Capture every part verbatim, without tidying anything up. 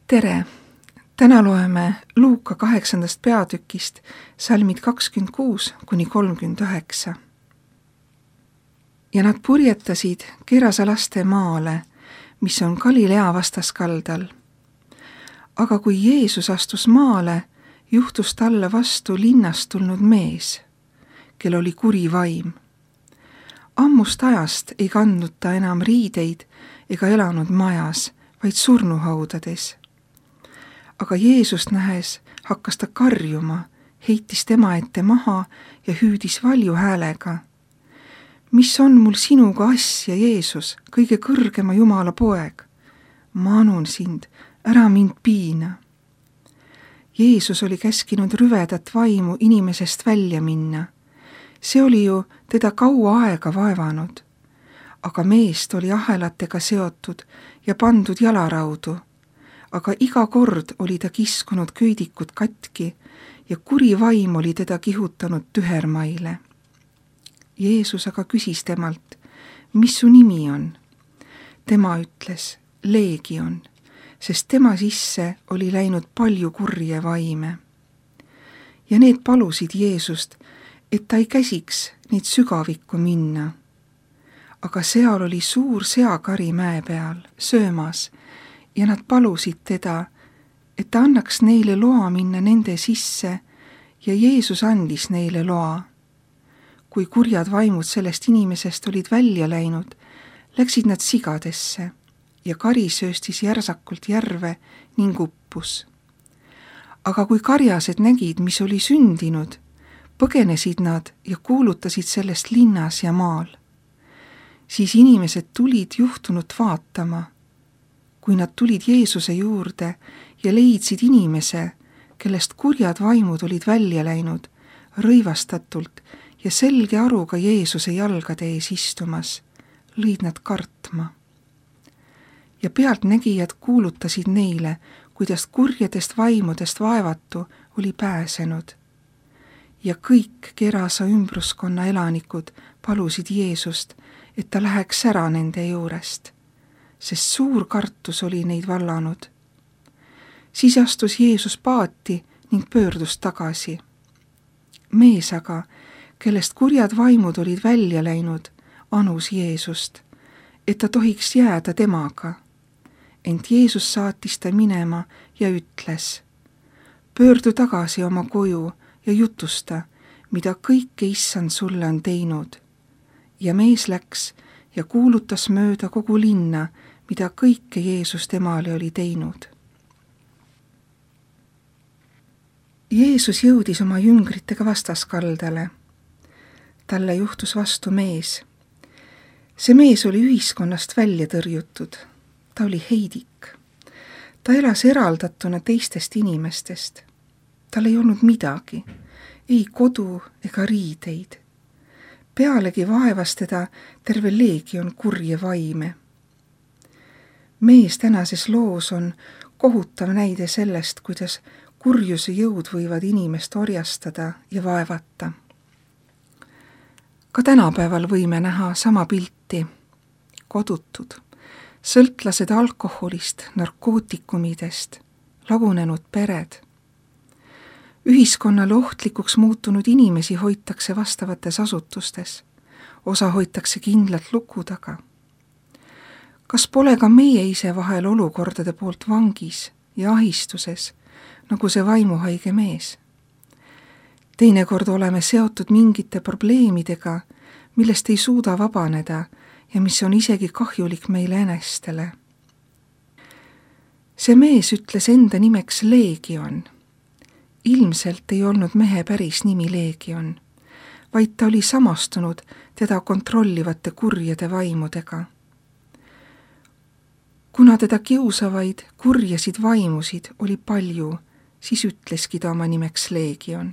Tere! Täna loeme Luuka kaheksandast peatükist salmid kakskümmend kuus kuni kolmkümmend üheksa. Ja nad purjetasid Gerasa laste maale, mis on Galilea vastaskaldal. Aga kui Jeesus astus maale, juhtus talle vastu linnast tulnud mees, kel oli kuri vaim. Ammust ajast ei kandnud ta enam riideid ega elanud majas, vaid surnuhaudades. Aga Jeesust nähes hakkas ta karjuma, heitis tema ette maha ja hüüdis valju häälega. Mis on mul sinuga asja, Jeesus, kõige kõrgema Jumala poeg? Ma anun sind, ära mind piina. Jeesus oli käskinud rüvedat vaimu inimesest välja minna. See oli ju teda kaua aega vaevanud. Aga meest oli ahelatega seotud ja pandud jalaraudu. Aga iga kord oli ta kiskunud köidikud katki ja kuri vaim oli teda kihutanud tühermaile. Jeesus aga küsis temalt, mis su nimi on? Tema ütles, Leegion, sest tema sisse oli läinud palju kurje vaime. Ja need palusid Jeesust, et ta ei käsiks neid sügavikku minna. Aga seal oli suur seakari mäe peal, söömas, ja nad palusid teda, et ta annaks neile loa minna nende sisse, ja Jeesus andis neile loa. Kui kurjad vaimud sellest inimesest olid välja läinud, läksid nad sigadesse ja kari sööstis järsakult järve ning uppus. Aga kui karjased nägid, mis oli sündinud, põgenesid nad ja kuulutasid sellest linnas ja maal. Siis inimesed tulid juhtunut vaatama. Kui nad tulid Jeesuse juurde ja leidsid inimese, kellest kurjad vaimud olid välja läinud, rõivastatult ja selge aruga Jeesuse jalgade ees istumas, lõid nad kartma. Ja pealtnägijad kuulutasid neile, kuidas kurjadest vaimudest vaevatu oli pääsenud. Ja kõik Gerasa ümbruskonna elanikud palusid Jeesust, et ta läheks ära nende juurest, sest suur kartus oli neid vallanud. Siis astus Jeesus paati ning pöördus tagasi. Mees aga, kellest kurjad vaimud olid välja läinud, anus Jeesust, et ta tohiks jääda temaga. Ent Jeesus saatis ta minema ja ütles, pöördu tagasi oma koju ja jutusta, mida kõike Issand sulle on teinud. Ja mees läks ja kuulutas mööda kogu linna, mida kõike Jeesus temale oli teinud. Jeesus jõudis oma jüngritega vastaskaldale. Talle juhtus vastu mees. See mees oli ühiskonnast välja tõrjutud. Ta oli heidik. Ta elas eraldatuna teistest inimestest. Tal ei olnud midagi, ei kodu ega riideid. Pealegi vaevas teda terve leegion kurje vaime. Mees tänases loos on kohutav näide sellest, kuidas kurjuse jõud võivad inimest orjastada ja vaevata. Ka tänapäeval võime näha sama pilti. Kodutud, sõltlased alkoholist, narkootikumidest, lagunenud pered. Ühiskonnale ohtlikuks muutunud inimesi hoitakse vastavates asutustes. Osa hoitakse kindlalt luku taga. Kas pole ka meie ise vahel olukordade poolt vangis ja ahistuses, nagu see vaimuhaige mees? Teinekord oleme seotud mingite probleemidega, millest ei suuda vabaneda ja mis on isegi kahjulik meile enestele. See mees ütles enda nimeks Leegion. Ilmselt ei olnud mehe päris nimi Leegion, vaid ta oli samastunud teda kontrollivate kurjade vaimudega. Kuna teda kiusavaid kurjasid vaimusid oli palju, siis ütleski ta oma nimeks Leegion.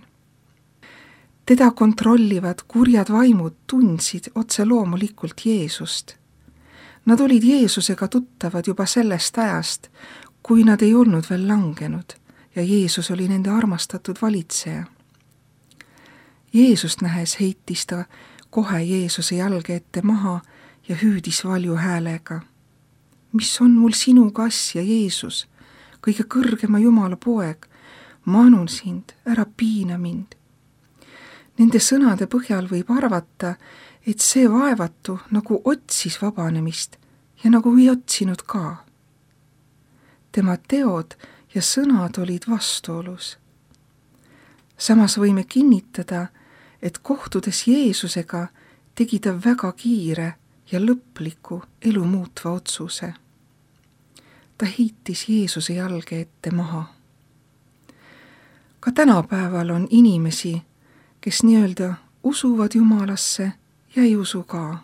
Teda kontrollivad kurjad vaimud tundsid otse loomulikult Jeesust. Nad olid Jeesusega tuttavad juba sellest ajast, kui nad ei olnud veel langenud ja Jeesus oli nende armastatud valitseja. Jeesust nähes heitis ta kohe Jeesuse jalge ette maha ja hüüdis valju häälega. Mis on mul sinuga asja, Jeesus? kõige kõrgema Jumala poeg, ma anun sind, ära piina mind. Nende sõnade põhjal võib arvata, et see vaevatu nagu otsis vabanemist ja nagu ei otsinud ka. Tema teod ja sõnad olid vastuolus. Samas võime kinnitada, et kohtudes Jeesusega tegi ta väga kiire ja lõpliku elu muutva otsuse. Ta heitis Jeesuse jalge ette maha. Ka tänapäeval on inimesi, kes nii-öelda usuvad Jumalasse ja ei usu ka.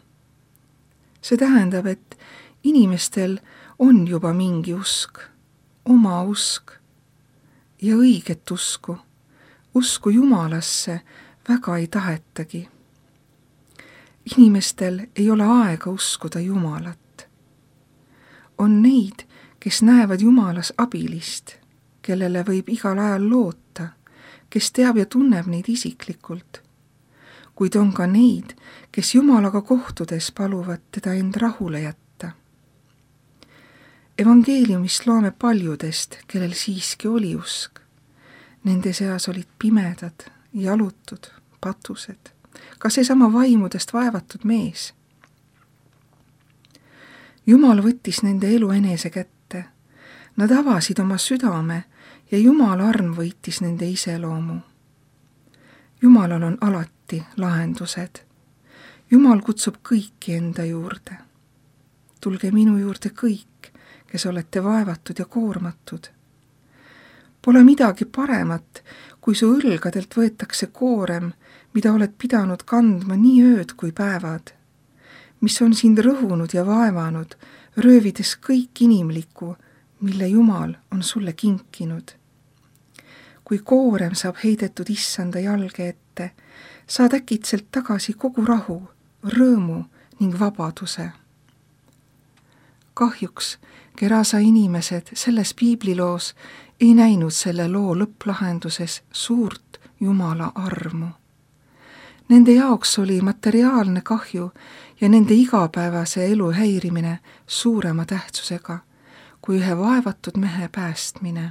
See tähendab, et inimestel on juba mingi usk, oma usk ja õiget usku, usku Jumalasse väga ei tahetagi. Inimestel ei ole aega uskuda Jumalat. On neid, kes näevad Jumalas abilist, kellele võib igal ajal loota, kes teab ja tunneb neid isiklikult. Kuid on ka neid, kes Jumalaga kohtudes paluvad teda end rahule jätta. Evangeeliumist loome paljudest, kellel siiski oli usk. Nende seas olid pimedad, jalutud, patused, ka seesama vaimudest vaevatud mees. Jumal võttis nende elu enese kätte. Nad avasid oma südame ja Jumala arm võitis nende iseloomu. Jumalal on alati lahendused. Jumal kutsub kõiki enda juurde. Tulge minu juurde kõik, kes olete vaevatud ja koormatud. Pole midagi paremat, kui su õlgadelt võetakse koorem, mida oled pidanud kandma nii ööd kui päevad, mis on sind rõhunud ja vaevanud, röövides kõik inimlikku, mille Jumal on sulle kinkinud. Kui koorem saab heidetud issanda jalge ette, saad äkitselt tagasi kogu rahu, rõõmu ning vabaduse. Kahjuks Gerasa inimesed selles piibliloos ei näinud selle loo lõpplahenduses suurt Jumala armu. Nende jaoks oli materiaalne kahju ja nende igapäevase elu häirimine suurema tähtsusega kui ühe vaevatud mehe päästmine.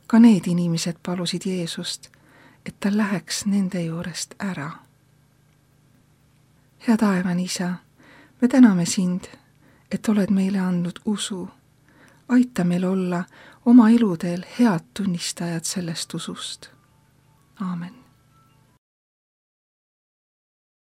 Ka need inimesed palusid Jeesust, et ta läheks nende juurest ära. Hea taevane Isa, me täname sind, et oled meile andnud usu. Aita meil olla oma eludel head tunnistajad sellest usust. Aamen.